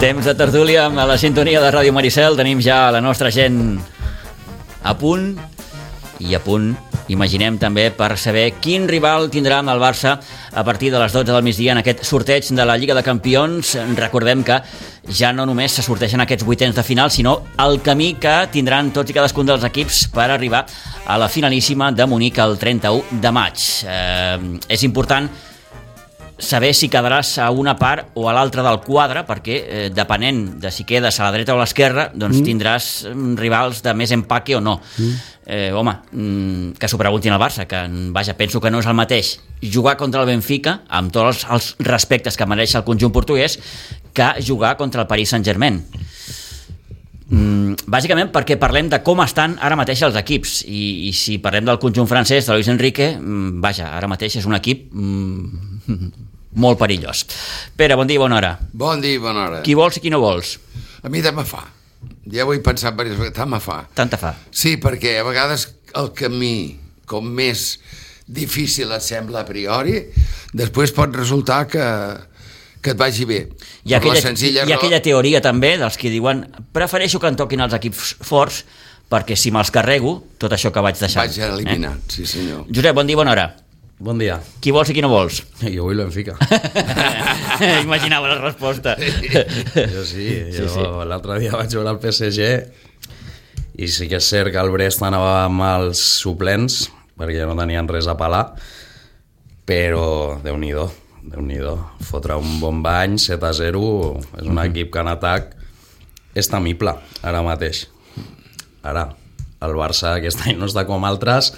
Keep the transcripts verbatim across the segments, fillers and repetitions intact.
Temps de tertúlia amb la sintonia de Ràdio Maricel. Tenim ja la nostra gent a punt i a punt, imaginem també, per saber quin rival tindrà amb el Barça a partir de les dotze del migdia en aquest sorteig de la Lliga de Campions. Recordem que ja no només se sorteixen aquests vuitens de final, sinó el camí que tindran tots i cadascun dels equips per arribar a la finalíssima de Munic el trenta-u de maig. Eh, és important saber si quedaràs a una part o a l'altra del quadre, perquè eh, depenent de si quedes a la dreta o a l'esquerra, doncs mm. tindràs rivals de més empaque o no. Mm. Eh, home, mm, que s'ho preguntin al Barça, que vaja, penso que no és el mateix jugar contra el Benfica, amb tots els, els respectes que mereix el conjunt portuguès, que jugar contra el Paris Saint-Germain. Mm, bàsicament perquè parlem de com estan ara mateix els equips, i, i si parlem del conjunt francès de Luis Enrique, mm, vaja, ara mateix és un equip mm, molt perillós. Pere, bon dia i bona hora. Bon dia i bona hora. Qui vols i qui no vols? A mi tant me fa. Ja ho he pensat diverses vegades, tant me fa. Tant te fa. Sí, perquè a vegades el camí, com més difícil et sembla a priori, després pot resultar que, que et vagi bé. Hi ha, aquella, hi ha aquella teoria també dels que diuen prefereixo que em toquin els equips forts perquè si me'ls carrego, tot això que vaig deixar. Vaig eliminar, eh? Sí senyor. Josep, bon dia i bona hora. Bon dia. Qui vols i qui no vols? Jo vull Benfica. Imaginava la resposta. Jo sí, jo sí, sí. L'altre dia vaig veure el P S G i sí que és cert que el Brest anava amb els suplents perquè no tenien res a pelar, però Déu-n'hi-do, Déu-n'hi-do. Fotre un bon bany, set a zero, és un equip que en atac és temible ara mateix. Ara, el Barça aquest any no està com altres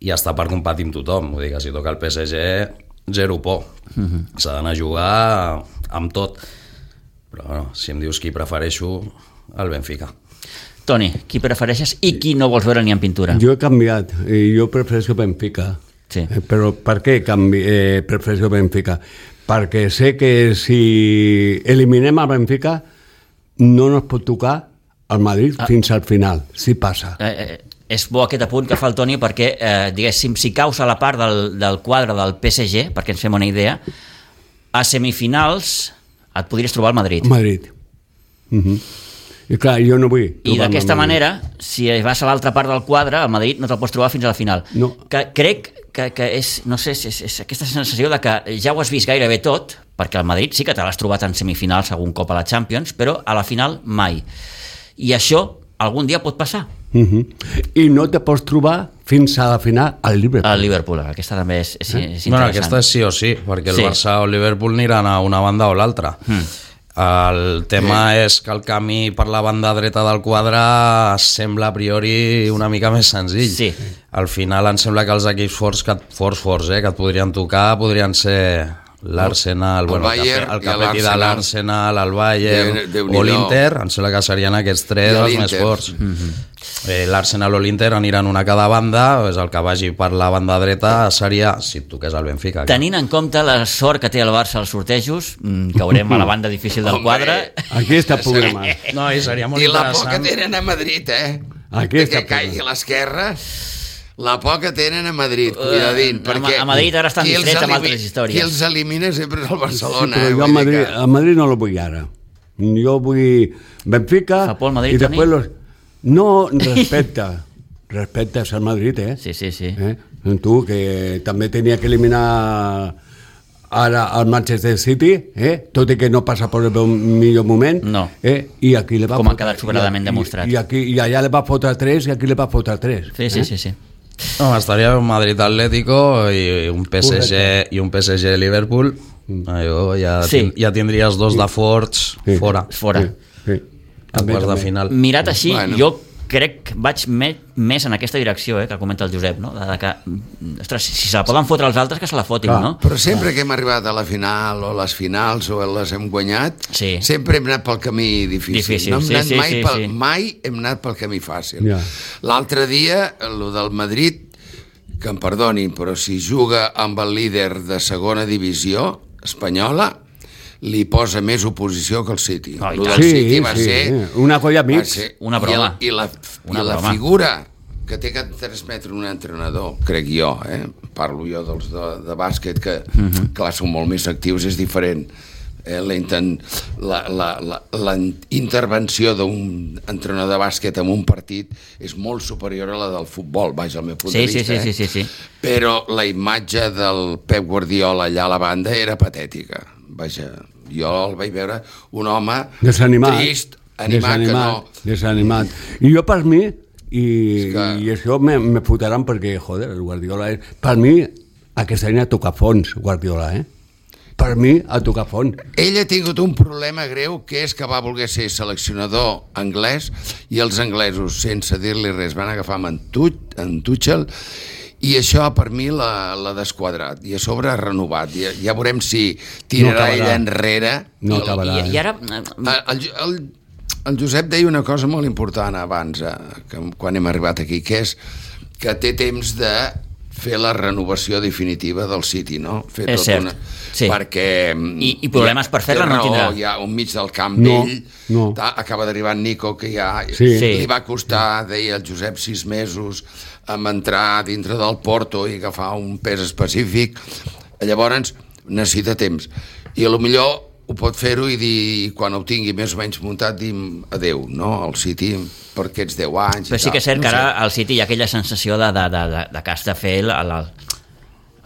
i està per competir amb tothom. Vull dir que si toca el P S G, zero por. Uh-huh. S'ha d'anar a jugar amb tot. Però bueno, si em dius qui prefereixo, el Benfica. Toni, qui prefereixes i qui no vols veure ni en pintura? Jo he canviat, i jo prefereixo Benfica. Sí. Eh, però per què canvi, eh, prefereixo Benfica? Perquè sé que si eliminem el Benfica no nos pot tocar el Madrid ah. fins al final, si passa. Eh, eh, és bo aquest apunt que fa el Toni perquè, eh, diguéssim, si caus a la part del, del quadre del P S G, perquè ens fem una idea, a semifinals et podries trobar al Madrid. Madrid. Uh-huh. I clar, jo no vull. I d'aquesta manera, si vas a l'altra part del quadre, al Madrid no te'l pots trobar fins a la final. No. Que crec que, que és, no sé, és, és aquesta sensació de que ja ho has vist gairebé tot, perquè al Madrid sí que te l'has trobat en semifinals algun cop a la Champions, però a la final mai. I això algun dia pot passar. Uh-huh. I no te pots trobar fins a la final al Liverpool. Al Liverpool, aquesta també és, és, eh? és interessant. Bueno, aquesta és sí o sí, perquè el sí. Barça o el Liverpool aniran a una banda o l'altra. Mm. El tema sí. és que el camí per la banda dreta del quadre sembla a priori una mica més senzill. Sí. Al final em sembla que els equips forts, que, forts, forts eh, que et podrien tocar podrien ser l'Arsenal, bueno, el, Bayern, el capetí de l'Arsenal, el Bayern de, de o l'Inter, em sembla que serien aquests tres els més forts. Mm-hmm. eh, L'Arsenal o l'Inter aniran una a cada banda, és el que vagi per la banda dreta seria, si et toqués el Benfica. Tenint en compte la sort que té el Barça als sortejos, caurem a la banda difícil del quadre. Aquí està el problema. No, i seria molt I la interessant. por que tenen a Madrid, eh? Aquí que caigui a l'esquerra. La por que tenen a Madrid, cuidadín, uh, perquè a Madrid ara estan distrets amb altres històries. Qui els elimina sempre és el Barcelona. Sí, però jo a Madrid, que... a Madrid no lo vull ara. Jo vull Benfica Fa por el Madrid, i després los... No, respecta. Respectes al Madrid, eh? Sí, sí, sí. Eh? Tu, que també tenia que eliminar ara al Manchester City, eh? Tot i que no passa per el millor moment, no. eh? I aquí le va com fotre, ha quedat sobradament i, demostrat. I, aquí, I allà le va fotre tres i aquí le va fotre tres. Sí, sí, eh? sí, sí. No, estaria un Madrid Atlético i un P S G i un P S G Liverpool. Allò, ja, sí. ja tindries dos de forts sí. fora. Fora. Sí, sí. A quarts de final. Mirat així, bueno. jo crec que vaig me, més en aquesta direcció, eh, que comenta el Josep, no? De, de que, ostres, si se la poden fotre els altres, que se la fotin, no? Però sempre que hem arribat a la final o les finals o les hem guanyat, sí. sempre hem anat pel camí difícil. difícil. No hem sí, anat sí, mai, sí, pel, sí. mai hem anat pel camí fàcil. Ja. L'altre dia, el del Madrid, que em perdonin, però si juga amb el líder de segona divisió espanyola, li posa més oposició que el City. Oh, el del sí, City va sí, ser... una colla mig. Una broma. I, el, i la, una i la broma. figura que té que transmetre un entrenador, crec jo, eh? Parlo jo dels de, de bàsquet, que, uh-huh. clar, són molt més actius, és diferent. Eh, la, inten, la, la, la, la intervenció d'un entrenador de bàsquet en un partit és molt superior a la del futbol, vaja, al meu punt sí, de vista. Sí, sí, eh? sí, sí, sí. Però la imatge del Pep Guardiola allà a la banda era patètica. Vaja, jo el vaig veure un home desanimat, trist, animat, desanimat, que no... Desanimat. I jo, per mi, i, que... i això me, me fotran perquè, joder, el Guardiola és... Per mi, aquest any a tocar fons, Guardiola, eh? Per mi, a tocar fons. Ell ha tingut un problema greu, que és que va voler ser seleccionador anglès i els anglesos, sense dir-li res, van agafar en, Tuch, en Tuchel, i això per mi l'ha desquadrat, i a sobre ha renovat. Ja, ja veurem si tirarà no ell enrere. No acabarà. I, i ara... El, el, el Josep deia una cosa molt important abans, eh, que, quan hem arribat aquí, que és que té temps de fer la renovació definitiva del City, no? Fer és tot cert, una... sí. Perquè... I, i problemes per fer-la no tindrà. Hi ha un mig del camp no, d'ell, no. acaba d'arribar Nico, que ja sí. li va costar, deia el Josep, sis mesos amb entrar dintre del Porto i agafar un pes específic. Llavors necessita temps. I a lo millor ho pot fer-ho i dir, quan ho tingui més o menys muntat, dir adeu, no?, al City per aquests deu anys. Però sí que és cert no que ara al City hi ha aquella sensació de, de, de, de, de que has de fer el, el,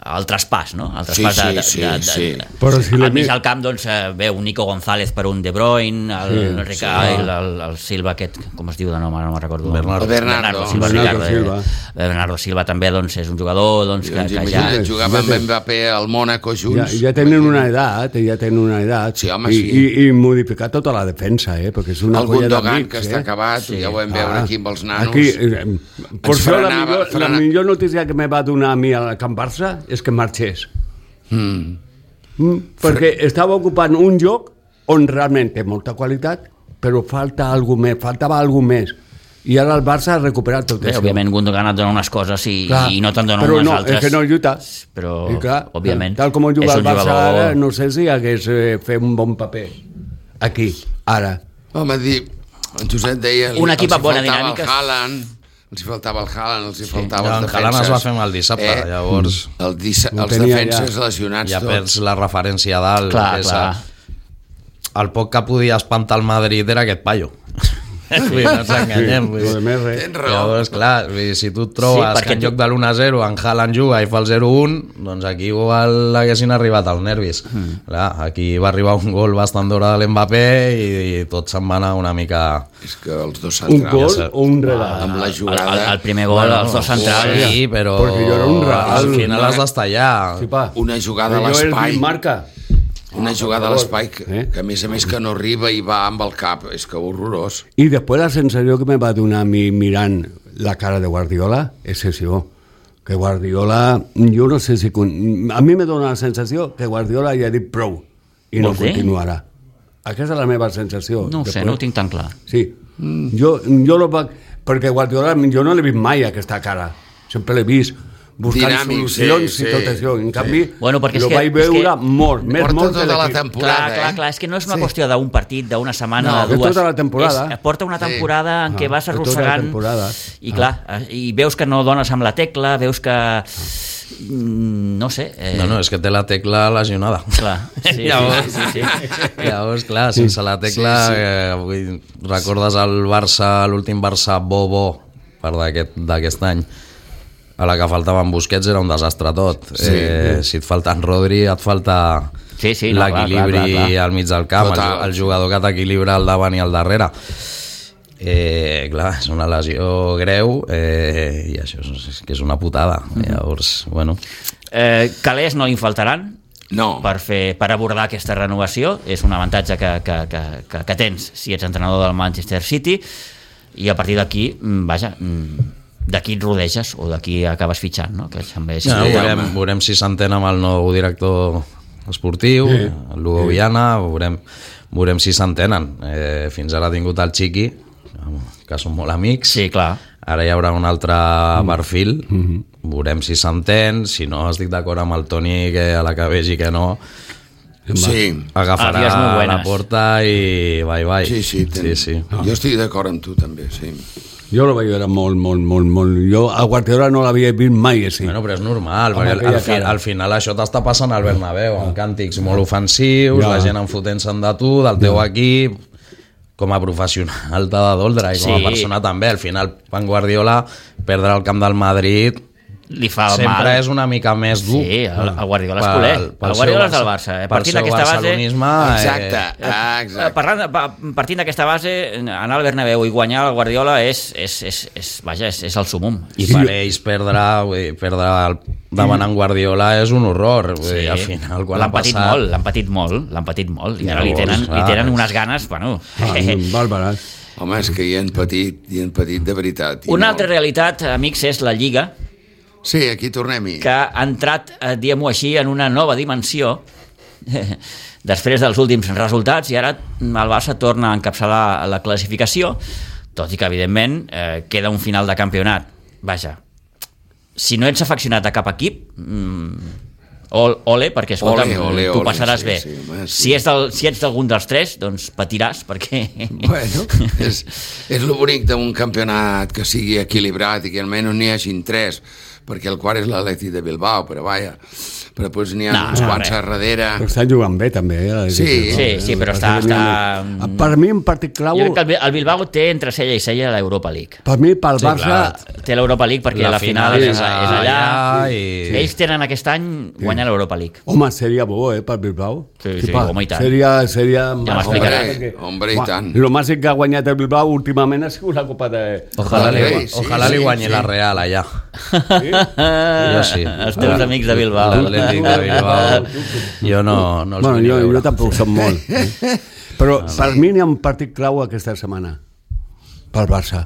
el traspàs, no? El traspàs sí, de, sí, de, de, sí. de, Però si al mig del camp doncs veu un Nico González per un De Bruyne, el, sí, el, sí. el, el, el Silva aquest, com es diu de nom, ara no me'n recordo. Bernardo. Bernardo, Bernardo Silva, Bernardo Ricardo, Silva. Eh, Bernardo Silva també doncs, és un jugador doncs, que, que ja... Jugava amb Mbappé al Mónaco junts. Ja, ja tenen una edat, ja tenen una edat. Sí, home, I, sí. I, i modificar tota la defensa, eh? Perquè és una el colla Gundogan, d'amics, que eh? està acabat, sí. Ja ho vam veure ah, aquí amb els nanos. Aquí, eh, per això la millor, frena... la millor notícia que me va donar a mi al Camp Barça és que marxés. Mm. Mm, perquè estava ocupant un lloc on realment té molta qualitat, però falta alguna més, faltava alguna més. I ara el Barça ha recuperat tot Bé, això. òbviament Gundogan et dona unes coses i, clar, i no te'n dona però unes no, altres. Però no, és que no lluita. Però, I clar, òbviament, tal com juga és el un Barça jugador... ara, no sé si hagués eh, fet un bon paper aquí, ara. Home, dir, en Josep deia... Un equip amb bona dinàmica. dinàmica. Els Haaland, els hi faltava el Haaland, els hi Sí. faltava Ja, els en defenses. Haaland es va fer mal dissabte, eh? Llavors... El dissa, No els tenia defenses ja. lesionats Ja tots. perds la referència a dalt. Clar, que és clar. A... El poc que podia espantar el Madrid era aquest paio. Vull dir, no ens enganyem. Vull dir. Lo de més res. Tens raó. Llavors, clar, vull dir, si tu et trobes Sí, sí, perquè que en tu- lloc de l'u a zero en Haaland juga i fa el zero un, doncs aquí igual haguessin arribat als nervis. Mm. Clar, aquí va arribar un gol bastant d'hora de l'Mbappé i, i tot se'n va anar una mica... És que els dos Un centrals... gol sé. o un regal? Amb la El, jugada... el, el primer gol, Bueno, els dos centrals... Sí, però Perquè jo era un regal. al final has d'estar allà. Sí, pa. Una jugada a Jo és l'espai. marca. Una jugada a l'espai que, Eh? que a més a més que no arriba i va amb el cap. És que horrorós. I després la sensació que me va donar a mi mirant la cara de Guardiola és això, que Guardiola, jo no sé si... A mi me dona la sensació que Guardiola ja ha dit prou i no Vols dir? continuarà. Aquesta és la meva sensació. No ho sé, Després- no ho tinc tan clar. Sí, mm. jo, jo lo va... perquè Guardiola jo no l'he vist mai aquesta cara, sempre l'he vist buscant Dinàmic, solucions sí, i tot sí, això, en sí. canvi Bueno, perquè és lo que- vaig és veure que molt, més porta molt tota que la l'equip. temporada. Clar, clar, eh? clar, és que no és una Sí. qüestió d'un partit, d'una setmana, No, de és dues... tota la temporada. És, porta una temporada en què Ah, vas és tota la arrossegant temporada. i clar, i veus que no dones amb la tecla, veus que... mm, no sé... Eh, No, no, és que té la tecla lesionada. Clar, sí, Llavors, sí, sí, sí. Llavors, clar, sense la tecla, Sí, sí. eh, vull, recordes el Barça, l'últim Barça bo-bo per d'aquest d'aquest any, a la que faltaven Busquets era un desastre tot. Sí. eh, si et falta en Rodri, et falta Sí, sí, no, clar, clar, l'equilibri clar, clar. al mig del camp, el, Total. el jugador que t'equilibra al davant i al darrere. Eh, clar, és una lesió greu eh, i això és, és que és una putada. Mhm. Llavors, bueno... Eh, calés no hi faltaran No. per, fer, per abordar aquesta renovació. És un avantatge que, que, que, que, que tens si ets entrenador del Manchester City, i a partir d'aquí, mm, vaja, mm, d'aquí et rodeges o d'aquí acabes fitxant, no? Que també és... Ja, Sí, veurem, home. veurem si s'entén amb el nou director esportiu, Sí. el Lugo Viana, veurem, veurem si s'entenen. Eh, fins ara ha tingut el Chiqui, que són molt amics. Sí, clar. Ara hi haurà un altre perfil, veurem si s'entén, si no estic d'acord amb el Toni, que a la que vegi que no, Sí. agafarà Àvies molt la buenas. porta i bye bye. Sí, sí, ten... sí, sí. Jo estic d'acord amb tu també, sí. Jo lo veig era molt, molt, molt, molt... Jo a Guardiola no l'havia vist mai així. Bueno, però és normal, Amb perquè al, aquella al, fi, cara. al final això t'està passant al Bernabéu, amb càntics molt ofensius, Ja. la gent enfotent-se'n de tu, del teu equip. Com a professional t'ha de doldre i com a Sí. persona també. Al final, en Guardiola, perdre el camp del Madrid Li fa sempre mal. és una mica més dur. Sí, el, el Guardiola és Pel- culer. pel El Guardiola és seu del Barça. Eh? pel Partint seu d'aquesta base... barcelonisme, Exacte, eh, ah, Eh, exacte. Parlant, de- pa- partint d'aquesta base, anar al Bernabéu i guanyar el Guardiola és, és, és, és, vaja, és, és el sumum. I per ells perdre, vull dir, perdre el, davant en Guardiola és un horror. Vull dir, al final, quan L'han ha patit passat... molt, l'han patit molt, l'han patit molt. I ara li Llavors, tenen, li clar, tenen és- unes ganes, bueno... Ah, bàrbares. Home, és que hi han patit, hi han patit de veritat. i Una molt. altra realitat, amics, és la Lliga, Sí, aquí tornem-hi. que ha entrat, eh, diguem-ho així, en una nova dimensió després dels últims resultats, i ara el Barça torna a encapçalar la classificació, tot i que, evidentment, eh, queda un final de campionat. Vaja, si no ets afeccionat a cap equip, mm, ol, ole, perquè, escolta'm, Ole, ole, tu ole, passaràs sí, bé. sí, home, sí. Si, és del, si ets d'algun dels tres, doncs patiràs, perquè... Bueno, és, és el bonic d'un campionat que sigui equilibrat i que almenys n'hi hagin tres, perquè el quart és l'Atlètic de Bilbao, però vaja, però doncs n'hi ha No, uns no, quants res. a darrere. Però estan jugant bé, també. Eh? Sí. Sí, sí, però està- està- Per mi, un partit clau... Jo crec que el Bi- el Bilbao té entre cella i cella l'Europa League. Per mi, pel Sí, Barça... clar. Té l'Europa League perquè la, La final, final és, és és allà. allà i- Ells tenen aquest any guanyar l'Europa League. Home, seria bo, eh, per Bilbao. Sí, sí, pa, home, i tant. Seria... seria Ja m'explicarà. Hombre, hombre, i tant. El màxim que ha guanyat el Bilbao últimament ha sigut la Copa de... Ojalà, li, Sí, sí, ojalà li sí, guanyi sí. la Real allà. Sí? Jo sí. Els teus amics de Bilbao. L'Atlètic de Bilbao. Jo no, no els Bueno, vull ni jo, veure. jo tampoc som molt. eh? Però per mi n'hi ha un partit clau aquesta setmana. Pel Barça.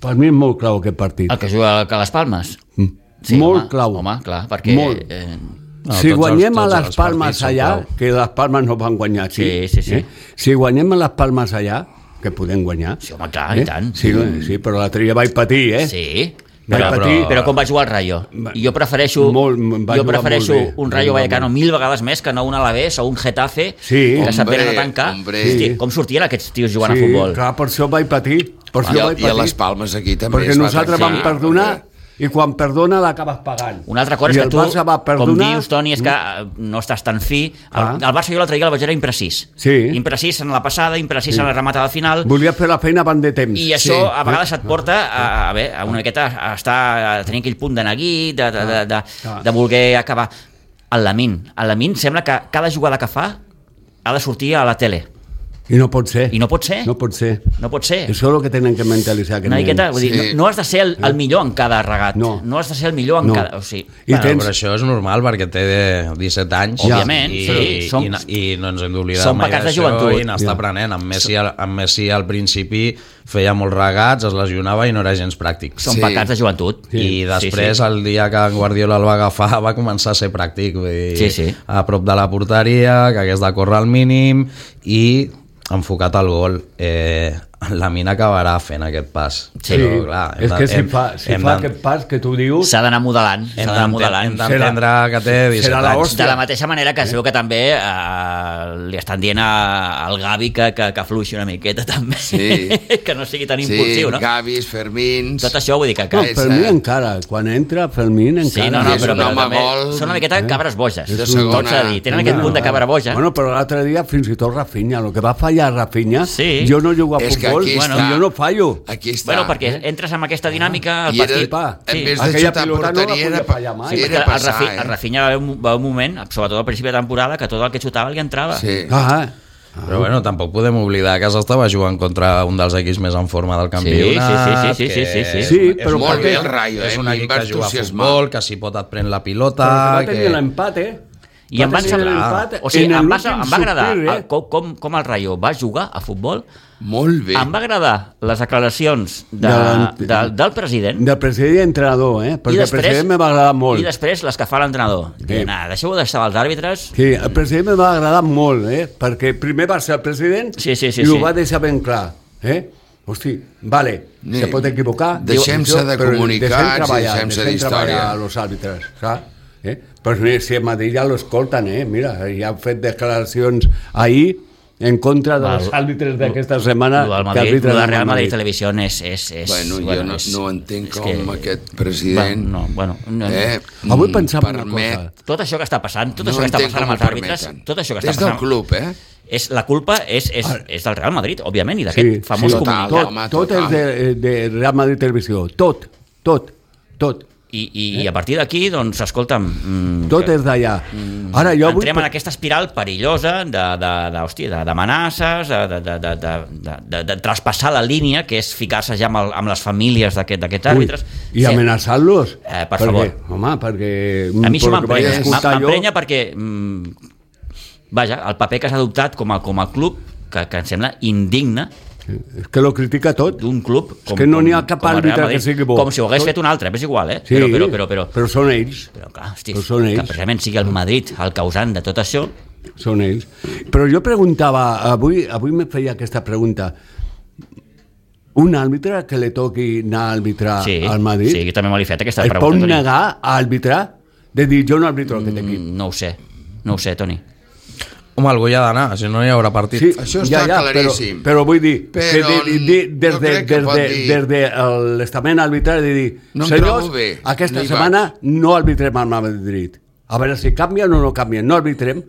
Per mi és molt clau aquest partit. El que juga a les Palmes. Mm. Sí, molt home, clau. Home, clar, perquè... Molt. Eh, No, si tots guanyem els- a tots les els Palmes partits són allà, clau. que les Palmes no van guanyar aquí, Sí, sí, sí. Eh? Si guanyem a les Palmes allà, que podem guanyar... Sí, home, clar, i tant. Sí, sí, però l'altre dia vaig patir, eh? sí, Vaig però, patir. però com va jugar el Rayo? Va- Jo prefereixo, Molt, va jo jugar prefereixo molt bé. un Va Rayo jugar Vallecano molt. mil vegades més que no un Alavés o un Getafe Sí. que se't venen a Hombre, tancar. hombre. Hosti, com sortien aquests tios jugant sí, a futbol? clar, per això vaig patir. Per I, això a, vaig I a patir. les Palmes aquí també Perquè es va nosaltres vam tancar, perdonar perquè- i quan perdona l'acabes pagant. Una altra cosa I és el que tu, Barça va com perdonar... dius, Toni, és que eh, no estàs tan fi. El, Ah. el Barça jo l'altre dia el vaig veure imprecís. Sí. Imprecís en la passada, imprecís en la rematada final. Volia fer la feina abans de temps. I això Sí. a vegades et porta a, a, bé, a una miqueta a estar a tenir aquell punt de neguit, de, de, de, de, Ah. de voler acabar. El Lamin. El Lamin sembla que cada jugada que fa ha de sortir a la tele. I no pot ser. I no pot ser. No pot ser. No pot ser. Això és el que tenen que mentalitzar. Una miqueta, vull dir, Sí. no, no has de ser el, el millor en cada regat. No. no has de ser el millor en No. cada... O sigui, I Bueno, tens... però això és normal perquè té disset anys Ja. Òbviament, i, sí, som- i, i no ens hem d'oblidar són mai pecats de d'això joventut. i n'està Ja. aprenent. En Messi, al- en Messi al principi feia molts regats, es lesionava i no era gens pràctic. són Sí. pecats de joventut. I després, sí, sí. el dia que en Guardiola el va agafar, va començar a ser pràctic. Vull dir, Sí, sí. a prop de la porteria, que hagués de córrer al mínim i enfocat al gol. Eh, la Mina acabarà fent aquest pas. Sí. Però, clar, hem és de- que si hem- fa, si hem fa de- aquest pas que tu dius... S'ha d'anar modelant. S'ha Hem d'anar modelant. d'enten- hem d'entendre que té disset serà la anys. hòstia. De la mateixa manera que es veu que també eh, li estan dient a- al Gavi que, que, que fluixi una miqueta també, Sí. que no sigui tan Sí, impulsiu, no? Gavis, Fermins... Tot això vull dir que... No, que... és, Fermín eh, encara. Quan entra Fermín encara. Sí, no, no, és però, un però home també gol. són una miqueta cabres boges. De Tot segona. s'ha de dir. Tenen aquest punt de cabra boja. Bueno, però l'altre dia fins i tot Rafinha, el que va fallar Rafinha, Sí. jo no jugo a És que futbol, aquí bueno, està. jo no fallo. Aquí està. Bueno, perquè entres amb aquesta dinàmica, el I era, partit... pa. en Sí. vez de Aquella xutar a pilota no la porteria, podia era, fallar mai. sí, Sí, era perquè el, passar, Rafi, eh? el Rafinha va haver un, va haver un moment, sobretot al principi de temporada, que tot el que xutava li entrava. Sí. Ah, Però bueno, tampoc podem oblidar que s'estava jugant contra un dels equips més en forma del campionat. sí, sí, sí, sí, sí, sí. que Sí, és però un molt equip- bé el Rayo, eh? És un A mi equip em va que juga a entusiasmar. futbol, que si pot et pren la pilota... però que va tenir que... l'empat, eh? I em Va van tenir semblar... l'empat O sigui, en em va, l'últim em va agradar sospir, eh? el, com, com, com el Rayo va jugar a futbol. Molt bé. Em va agradar les declaracions de, De- de, del president Del president i entrenador, eh? Perquè el president me va agradar molt. i després les que fa l'entrenador. Sí. Sí. Deixeu d'estar els àrbitres. Sí, el president me va agradar molt, eh? Perquè primer va ser el president Sí, sí, sí, i ho sí. va deixar ben clar, eh? Hosti, vale, Sí. se pot equivocar. Deixem-se diu, de però comunicats deixem i treballar, deixem-se deixem d'història. treballar a los àrbitres, saps? Eh? Però si a Madrid ja lo escolten, eh? Mira, ja han fet declaracions ahir en contra dels Val. àrbitres d'aquesta setmana. Lo del que Madrid, arbitren lo de al Real Madrid Televisió és... és, és Bueno, jo bueno, no, és, no entenc és com que- aquest president Va, no, bueno, no, eh, Avui pensava una permet... cosa. tot això que està passant, tot No això que està entenc passant com amb els ho àrbitres, permeten. tot això que està Des del passant... club, eh? És, la culpa és, és, és del Real Madrid, òbviament, i d'aquest Sí, famós sí, total, comunicat. home, tot, tot és de, de Real Madrid Televisió, tot, tot, tot. I, i, i a partir d'aquí, doncs, escolta'm... Mm, Tot és d'allà. Ara jo vull... entrem en aquesta espiral perillosa de, de, de, hòstia, de, d'amenaces, de, de, de, de, de, de, de traspassar la línia, que és ficar-se ja amb, el, amb les famílies d'aquest- d'aquests àrbitres. I Sí. amenaçar-los? Eh, per perquè, favor. Home, perquè... A mi això pel que vaig m'emprenya, escoltar jo- m'emprenya perquè, mm, vaja, el paper que s'ha adoptat com a, com a club, que, que em sembla indigne, És que lo critica tot. d'un club com, És que no n'hi ha com- cap com el Real àrbitre Madrid, que sigui bo. com si ho hagués Tot- fet un altre, és igual, eh? Sí, però, però, però, però, però són ells. però clar, hosti, Però són que ells. precisament sigui el Madrid el causant de tot això. Són ells. Però jo preguntava, avui, avui me feia aquesta pregunta, un àrbitre que li toqui anar a arbitrar Sí, al Madrid, sí, jo també me l'he fet aquesta es pot pregunta, Toni. negar a arbitrar? De dir, jo no arbitro aquest equip. Mm, no ho sé, no ho sé, Toni. Home, algú hi ha d'anar, si no hi haurà partit. Sí, Això està claríssim. Però, però vull dir, Però que de, de, des, jo de, crec que des, pot de, dir- des de l'estament arbitral de dir, No em senyors, trobo bé, aquesta no hi setmana no arbitrem al Madrid. A veure si canvien o no canvien, no arbitrem.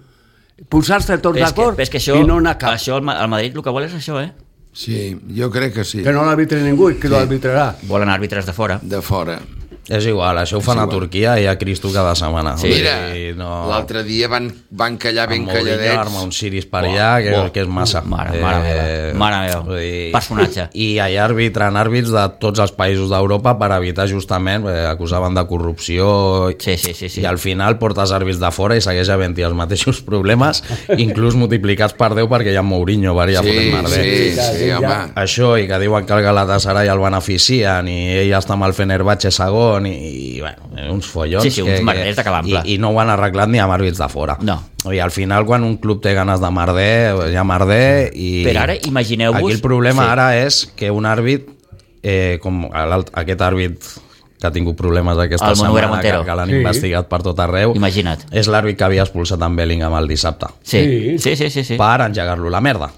Posar-se tots Però és que, d'acord però és que això, i no anar cap. això el, Ma- el Madrid el que vol és això, eh? Sí, jo crec que sí. Que no l'arbitre ningú i que lo arbitrarà. Volen àrbitres de fora. De fora. És igual, això ho fan a Turquia i a Cristo cada setmana. Sí. Vull Mira, dir, no... l'altre dia van, van callar ben Amb Mourinho calladets. arma un ciris per Buah, allà, que, buah. que és massa. Mare, mare meva, mare meva. vull dir, Personatge. I allà arbitren àrbits de tots els països d'Europa per evitar justament, eh, acusaven de corrupció, Sí, sí, sí, sí. i al final portes àrbits de fora i segueix havent-hi els mateixos problemes, inclús multiplicats per deu perquè hi ha Mourinho, varia Sí, fotent merder. sí, Ja, sí, sí, ja. home. Això, i que diuen que el Galatasaray el beneficien i ell està amb el Fenerbahçe segon i, i bueno, uns follons Sí, sí, uns merders de calample. i, i no ho han arreglat ni amb àrbits de fora. No. I al final quan un club té ganes de merder hi ha merder i... Però ara imagineu-vos- Aquí el problema sí. ara és que un àrbit eh, com l'alt- aquest àrbit que ha tingut problemes aquesta El Monuera setmana, que, Montero. que l'han Sí. investigat per tot arreu, Imagina't. és l'àrbit que havia expulsat en Bellingham el dissabte Sí, Sí. sí, sí, sí. sí. per engegar-lo la merda,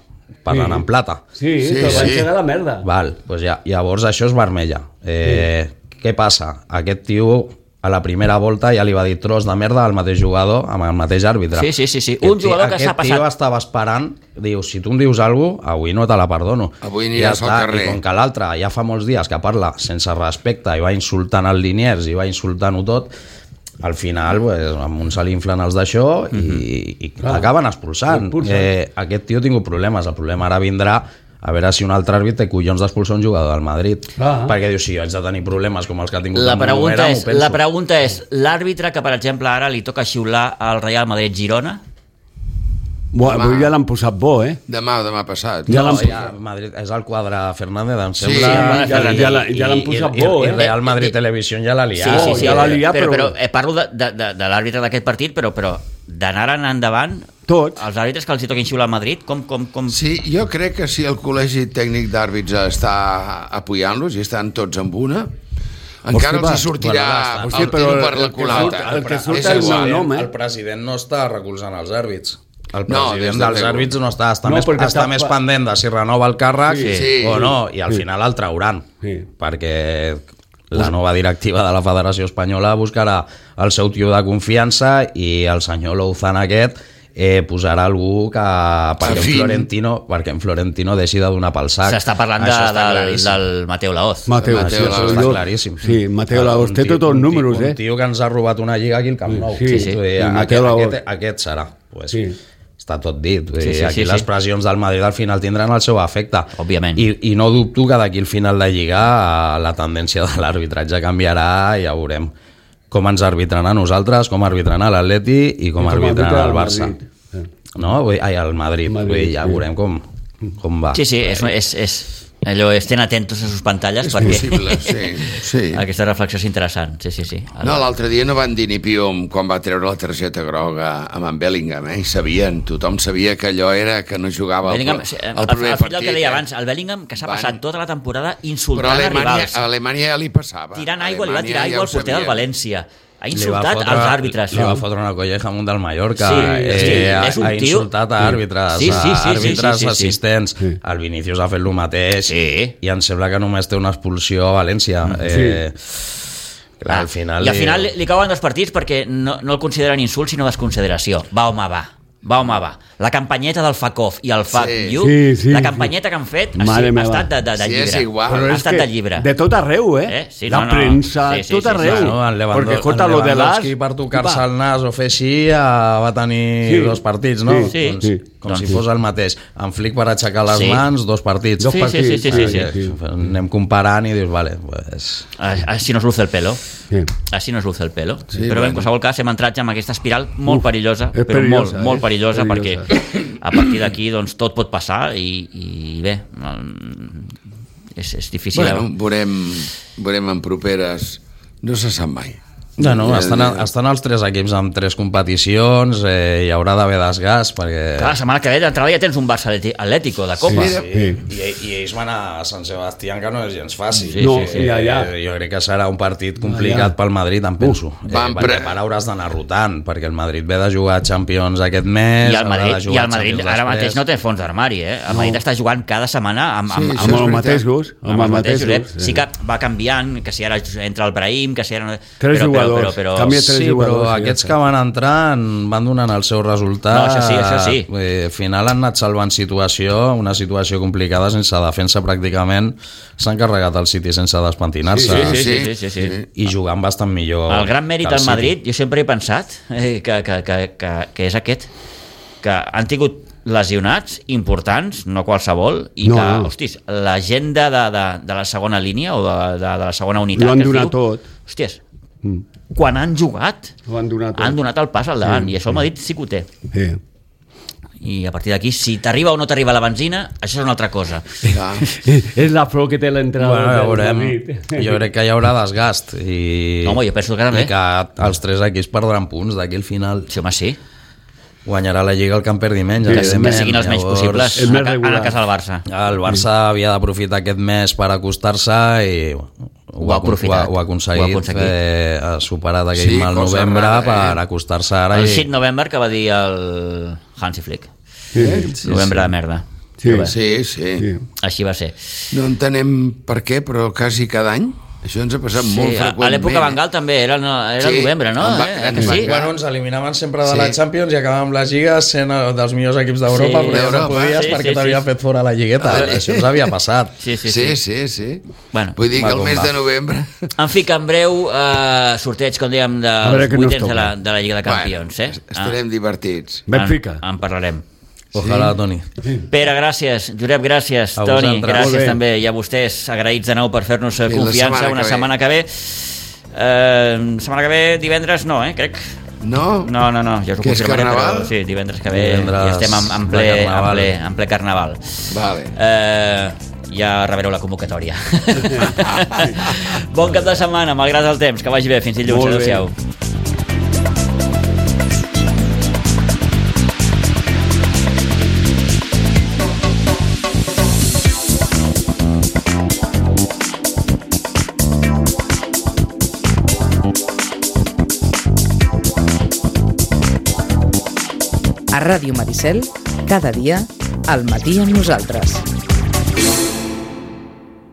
parlant en plata. Sí, Sí, sí, però sí. van llegar la merda. Val, doncs ja, llavors això és vermella. Eh, sí. Què passa? Aquest tio a la primera volta ja li va dir tros de merda al mateix jugador amb el mateix àrbitre. Sí, sí, sí, sí. Aquest Un jugador tio- que s'ha Aquest tio passat. estava esperant, diu, si tu em dius alguna cosa, avui no te la perdono. Avui I aniràs ja al està. carrer. I com que l'altre ja fa molts dies que parla sense respecte i va insultant el Liniers i va insultant-ho tot, al final pues, amb un se li inflen els d'això i, i l'acaben expulsant. Expulsen. Eh, aquest tio ha tingut problemes. El problema ara vindrà a veure si un altre àrbit té collons d'expulsar un jugador del Madrid. Ah. Perquè diu, si jo haig de tenir problemes com els que ha tingut La amb pregunta, Monuera, és, m'ho penso. la pregunta és, l'àrbitre que, per exemple, ara li toca xiular al Real Madrid-Girona, Bueno, avui ja l'han posat bo, eh? Demà o demà passat. Ja No, l'han ja, Madrid, és el quadre Fernández, em Sí, sembla. ja- ja- ja l'ha- ja l'han I- posat i- bo, i, eh? I Real Madrid Televisió ja l'ha sí, liat. sí, sí, ja l'ha liat, però, però- però eh, parlo de, de, de, de l'àrbitre d'aquest partit, però, però d'anar en endavant, Tots. els àrbitres que els hi toquin xiular al Madrid, com... com, com... Sí, jo crec que si el Col·legi Tècnic d'Àrbits està apoyant-los i estan tots amb una, encara Hosti, va. els hi sortirà Bueno, el sí, però tiro per el la que culata. surt- el que surt És és el igual. nom, eh? El president no està recolzant els àrbits. El No, president des de dels luego. àrbits no està, està, No, més, perquè està està- més pendent de si renova el càrrec Sí, sí. o no, i al final el trauran, Sí. perquè la nova directiva de la Federació Espanyola buscarà el seu tio de confiança i el senyor Louzán aquest eh, posarà algú que perquè en, Afín. Florentino, perquè en Florentino deixi de donar pel sac. S'està parlant de, Això està del, claríssim. del Mateo Laoz. Mateo, Mateo sí, Laoz, Està jo- claríssim. Sí, Mateo Laoz Un té tio- tots els un tio- números, eh? Un tio que ens ha robat una lliga aquí al Camp Nou. Sí, sí. Vull dir, I aquest, Mateo Laoz. aquest, aquest serà. Pues, Sí. està tot dit. Vull Sí, dir, sí, aquí sí, les sí. pressions del Madrid al final tindran el seu efecte. Òbviament. I, I no dubto que d'aquí al final de Lliga la tendència de l'arbitratge canviarà i ja veurem com ens arbitran a nosaltres, com arbitran a l'Atleti i com I com arbitran arbitra al el Barça. Madrid. Eh. No? Vull dir, ai, al Madrid. Madrid, Vull dir, ja sí. veurem com, com va. Sí, sí, és, és, és allò, estén atentos a sus pantalles És perquè possible, sí. sí. aquesta reflexió és interessant, sí, sí, sí. No, l'altre dia no van dir ni piu amb quan va treure la targeta groga amb en Bellingham, eh? I sabien, tothom sabia que allò era que no jugava Bellingham, el, sí, el, el, primer el, partit. el que deia eh? abans, el Bellingham que s'ha Van- passat tota la temporada Però a insultant a Alemanya, rivals, a Alemanya ja li passava. tirant A aigua, li va Alemanya tirar ja aigua ho al porter del sabien. València, ha insultat fotre, als àrbitres. Li va fotre una colleja amunt del Mallorca. Sí, eh, sí, ha, és un ha tio... insultat a àrbitres, Sí, sí, sí, a àrbitres sí, sí, sí, assistents. sí. El Vinícius ha fet el mateix Sí. i em sembla que només té una expulsió a València. Eh, clar, al final... I al final li, li cauen dos partits perquè no, no el consideren insult sinó desconsideració. Va, home, va. Va, home, va. La campanyeta del Fuck Off i el Fuck Sí. You, Sí, sí, la sí. campanyeta que han fet ha, Mare ha meva. estat de, de, de Sí, llibre. és igual. Però Ha és estat que de llibre. De tot arreu, eh? Eh? Sí, la no, no. premsa, Sí, sí, tot sí, sí, arreu. sí. No, en Lewandowski, Perquè, escolta, en lo de Lewandowski l'As... per tocar-se el nas o fer així ja va tenir Sí. dos partits, no? Sí, doncs, sí. Com Doncs si sí. fos el mateix. En Flick per aixecar les Sí. mans, dos partits. Dos Sí, sí, partits. sí, sí, sí, sí. Eh, sí. Anem comparant i dius, vale, pues... Així nos luce el pelo. Sí. Així nos luce el pelo. Sí, però bueno. en qualsevol cas hem entrat ja en aquesta espiral molt Uf, perillosa, és però perillosa, molt, molt eh? perillosa, Perillosa. perquè a partir d'aquí doncs, tot pot passar i, i bé, mm, és, és difícil. Bueno, veurem, veurem en properes... No se sap mai. No, no, Eh, estan, estan els tres equips amb tres competicions, eh, hi haurà d'haver desgast, perquè... Clar, la setmana que ve d'entrada ja tens un Barça Atleti- Atlético de Copa. Sí. Sí, i, i ells van a Sant Sebastián, que no és gens fàcil. Sí, No, sí, sí. i allà... Eh, jo crec que serà un partit complicat pel Madrid, em penso. Eh, van perquè pre- per ara hauràs d'anar rotant, perquè el Madrid ve de jugar Champions aquest mes... I el Madrid, haurà de i jugar el Madrid Champions ara mateix després. no té fons d'armari, eh? El Madrid està jugant cada setmana amb, amb, Sí, amb, això Amb és els veritat. mateixos. Amb els mateixos. Josep. Sí que va canviant, que si ara entra el Brahim, que si ara... Tres però, jugadors. Però, però, Canvia però, tres Sí, jugadors, però sí, aquests ja que van entrant van donant el seu resultat. No, això sí, això sí. Eh, al final han anat salvant situació, una situació complicada sense defensa pràcticament. S'han carregat el City sense despentinar-se. Sí, sí, sí, sí, sí, sí. I jugant bastant millor. El gran mèrit que el del City. Madrid, jo sempre he pensat eh, que, que, que, que, que és aquest, que han tingut lesionats importants, no qualsevol, i No, que, no. hòsties, la gent de, de, de, de la segona línia o de, de, de la segona unitat... Ho han que es donat diu, tot. Hòsties, Mm. quan han jugat, Ho han donat tot. han donat el pas al davant, Sí, i això el Madrid sí que ho té. Sí. I a partir d'aquí, si t'arriba o no t'arriba la benzina, això és una altra cosa. Clar. És la flor que té l'entrada Bueno, ja del veurem. Madrid. Jo crec que hi haurà desgast i, Home, jo penso que també. i que els tres equips perdran punts d'aquí al final. Sí, home, sí. Guanyarà la Lliga el que en perdi menys, Que, que evidentment. siguin els menys Llavors, possibles és en, més a, en regular. el cas del Barça. El Barça havia d'aprofitar aquest mes per acostar-se i ho, Ho ha ha, aprofitat. ho ha aconseguit, Ho ha aconseguit. eh, ha superat aquell Sí, mal cosa novembre rara, eh? per acostar-se ara El i... sis de novembre que va dir el Hansi Flick. Sí. Sí, Novembre sí. de merda. Sí. Sí, sí. Sí. Així va ser. No entenem per què, però quasi cada any. Això ens ha passat molt Sí, a, freqüentment. a l'època Van Gaal també era, no, era Sí, novembre, no? en Va- Eh? en Que Van sí? Gaal. Bueno, ens eliminaven sempre de Sí. la Champions i acabàvem les lligues sent el dels millors equips d'Europa, Sí. però ja no D'Europa. podies Sí, perquè sí, t'havia sí. fet fora la lligueta. Vale. Això ens havia passat. Sí, sí, Sí, sí. sí, sí. Bueno, Vull dir va que el com mes va. de novembre... en fi, que en breu eh, sorteig, com dèiem, A veure dels què nos vuitens de la, toca. de la Lliga de Campions. Bueno, Eh? estarem divertits. Benfica. En, en parlarem. Ojalà, Toni. Pere, gràcies. Josep, gràcies. A Toni, vosaltres. gràcies Molt bé. també. I a vostès, agraïts de nou per fer-nos eh, I la confiança setmana una que ve. setmana que ve. Eh, setmana que ve, divendres no, eh, crec. No? No, no, no, ja us ho Que és confirmaré, carnaval? però sí, divendres que ve Divendres ja estem en, en, de ple, en, carnaval. ple, en ple carnaval. Vale. Eh, ja rebreu la convocatòria. Bon cap de setmana, malgrat el temps, que vagi bé, fins dilluns, Molt bé. adéu-siau. A Ràdio Maricel, cada dia, al matí amb nosaltres.